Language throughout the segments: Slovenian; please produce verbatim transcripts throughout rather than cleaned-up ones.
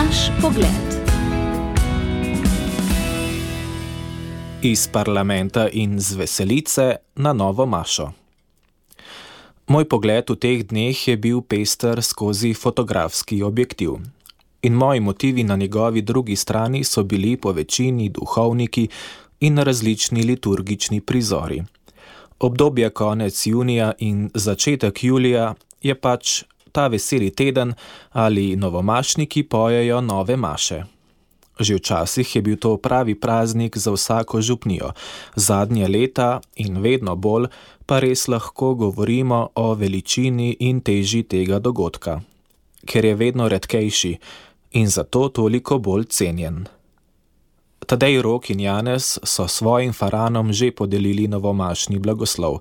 Naš pogled. Iz parlamenta in z veselice na novo mašo. Moj pogled v teh dneh je bil pester skozi fotografski objektiv. In moji motivi na njegovi drugi strani so bili po večini duhovniki in različni liturgični prizori. Obdobje konec junija in začetek julija je pač ta veseli teden ali novomašniki pojejo nove maše. Že včasih je bil to pravi praznik za vsako župnijo, zadnje leta in vedno bolj pa res lahko govorimo o veličini in teži tega dogodka, ker je vedno redkejši in zato toliko bolj cenjen. Tadej Rok in Janez so svojim faranom že podelili novomašni blagoslov,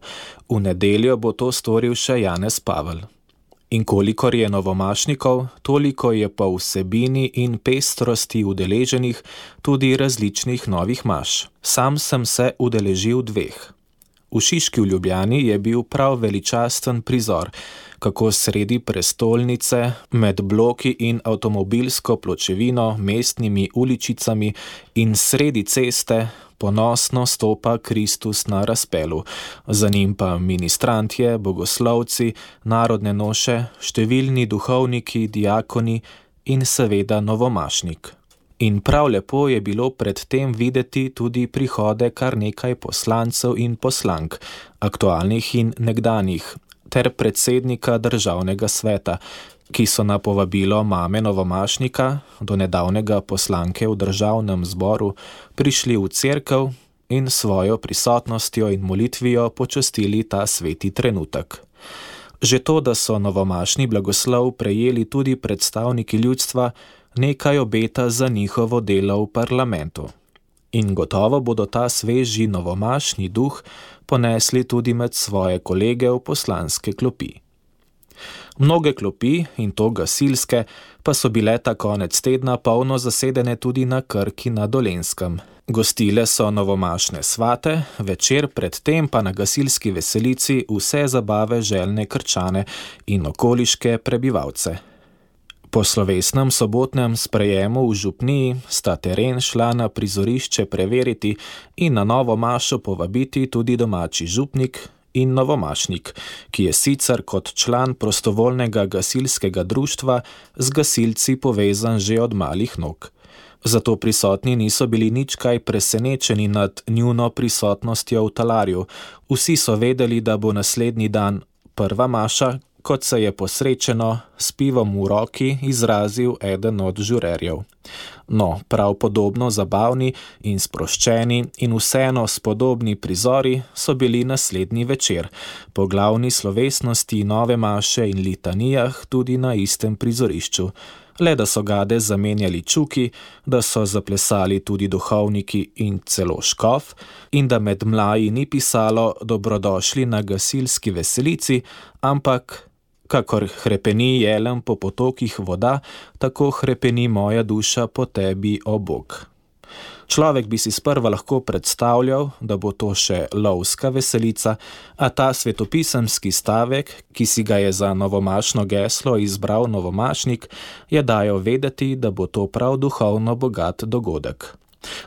v nedeljo bo to storil še Janez Pavel. In kolikor je novomašnikov, toliko je po vsebini in pestrosti udeleženih tudi različnih novih maš. Sam sem se udeležil dveh. V Šiški v Ljubljani je bil prav veličasten prizor, kako sredi prestolnice, med bloki in avtomobilsko pločevino, mestnimi uličicami in sredi ceste ponosno stopa Kristus na razpelu, za njim pa ministrantje, bogoslovci, narodne noše, številni duhovniki, diakoni in seveda novomašnik. In prav lepo je bilo predtem videti tudi prihode kar nekaj poslancev in poslank, aktualnih in nekdanjih, ter predsednika državnega sveta, ki so na povabilo mame novomašnika, do nedavnega poslanke v državnem zboru, prišli v cerkev in svojo prisotnostjo in molitvijo počastili ta sveti trenutek. Že to, da so novomašni blagoslov prejeli tudi predstavniki ljudstva, nekaj obeta za njihovo delo v parlamentu. In gotovo bodo ta sveži novomašni duh ponesli tudi med svoje kolege v poslanske klopi. Mnoge klopi, in to gasilske, pa so bile ta konec tedna polno zasedene tudi na Krki na Dolenjskem. Gostile so novomašne svate, večer predtem pa na gasilski veselici vse zabave željne Krčane in okoliške prebivalce. Po slovesnem sobotnem sprejemu v župniji sta teren šla na prizorišče preveriti in na novo mašo povabiti tudi domači župnik in novomašnik, ki je sicer kot član prostovoljnega gasilskega društva z gasilci povezan že od malih nog. Zato prisotni niso bili nič kaj presenečeni nad njuno prisotnostjo v talarju. Vsi so vedeli, da bo naslednji dan prva maša, kot se je posrečeno s pivom v roki izrazil eden od žurerjev. No, prav podobno zabavni in sproščeni in vseeno spodobni prizori so bili naslednji večer, po glavni slovesnosti nove maše in litanijah tudi na istem prizorišču, le da so gade zamenjali čuki, da so zaplesali tudi duhovniki in celo škof in da med mlaji ni pisalo dobrodošli na gasilski veselici, ampak kakor hrepeni jelen po potokih voda, tako hrepeni moja duša po tebi, o Bog. Človek bi si sprva lahko predstavljal, da bo to še lovska veselica, a ta svetopisemski stavek, ki si ga je za novomašno geslo izbral novomašnik, je dajal vedeti, da bo to prav duhovno bogat dogodek.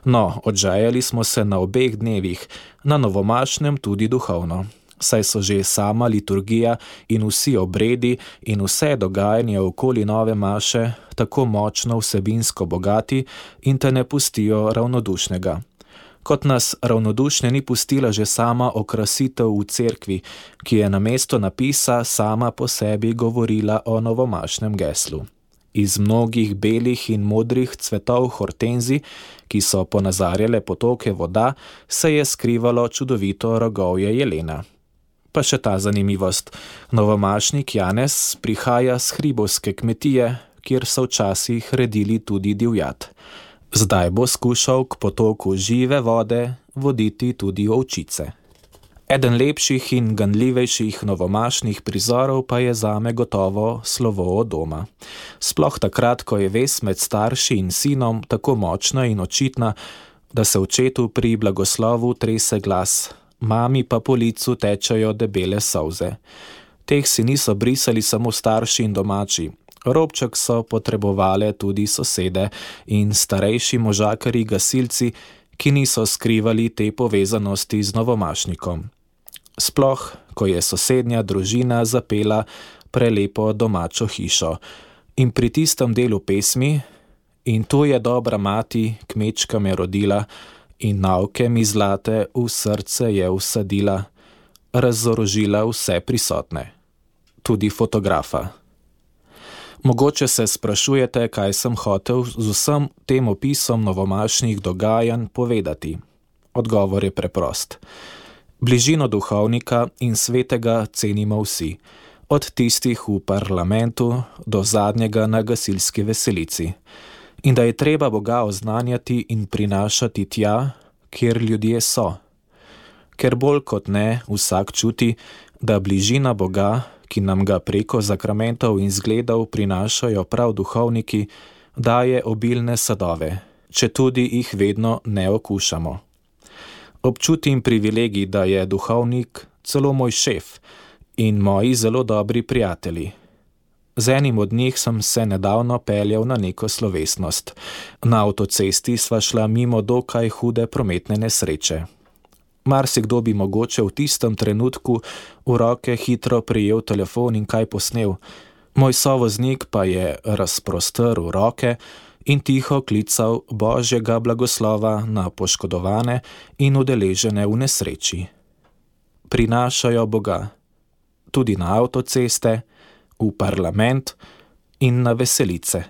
No, odžajali smo se na obeh dnevih, na novomašnem tudi duhovno. Saj so že sama liturgija in vsi obredi in vse dogajanje okoli nove maše tako močno vsebinsko bogati in te ne pustijo ravnodušnega. Kot nas ravnodušne ni pustila že sama okrasitev v cerkvi, ki je namesto napisa sama po sebi govorila o novomašnem geslu. Iz mnogih belih in modrih cvetov hortenzi, ki so ponazarjale potoke voda, se je skrivalo čudovito rogovje jelena. Pa še ta zanimivost. Novomašnik Janez prihaja z hribovske kmetije, kjer so včasih redili tudi divjad. Zdaj bo skušal k potoku žive vode voditi tudi ovčice. Eden lepših in ganljivejših novomašnih prizorov pa je zame gotovo slovo od doma. Sploh takrat, ko je vez med starši in sinom tako močna in očitna, da se očetu pri blagoslovu trese glas, mami pa po licu tečejo debele solze. Teh si niso brisali samo starši in domači. Robček so potrebovale tudi sosede in starejši možakari gasilci, ki niso skrivali te povezanosti z novomašnikom. Sploh, ko je sosednja družina zapela prelepo domačo hišo in pri tistem delu pesmi in tu je dobra mati, kmečka me rodila in nauke mi zlate v srce je usadila, razorožila vse prisotne, tudi fotografa. Mogoče se sprašujete, kaj sem hotel z vsem tem opisom novomašnih dogajanj povedati. Odgovor je preprost. Bližino duhovnika in svetega cenimo vsi, od tistih v parlamentu do zadnjega na gasilski veselici. In da je treba Boga oznanjati in prinašati tja, kjer ljudje so. Ker bolj kot ne vsak čuti, da bližina Boga, ki nam ga preko zakramentov in zgledov prinašajo prav duhovniki, daje obilne sadove, če tudi jih vedno ne okušamo. Občutim privilegij, da je duhovnik celo moj šef in moji zelo dobri prijatelji. Z enim od njih sem se nedavno peljal na neko slovesnost. Na avtocesti sva šla mimo dokaj hude prometne nesreče. Marsikdo bi mogoče v tistem trenutku v roke hitro prijel telefon in kaj posnel. Moj sovoznik pa je razprostrl roke in tiho klical Božjega blagoslova na poškodovane in udeležene v nesreči. Prinašajo Boga tudi na avtoceste, v parlament in na veselice.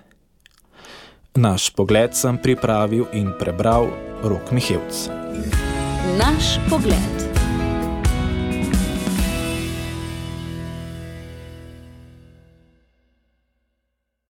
Naš pogled sem pripravil in prebral Rok Mihevc. Naš pogled.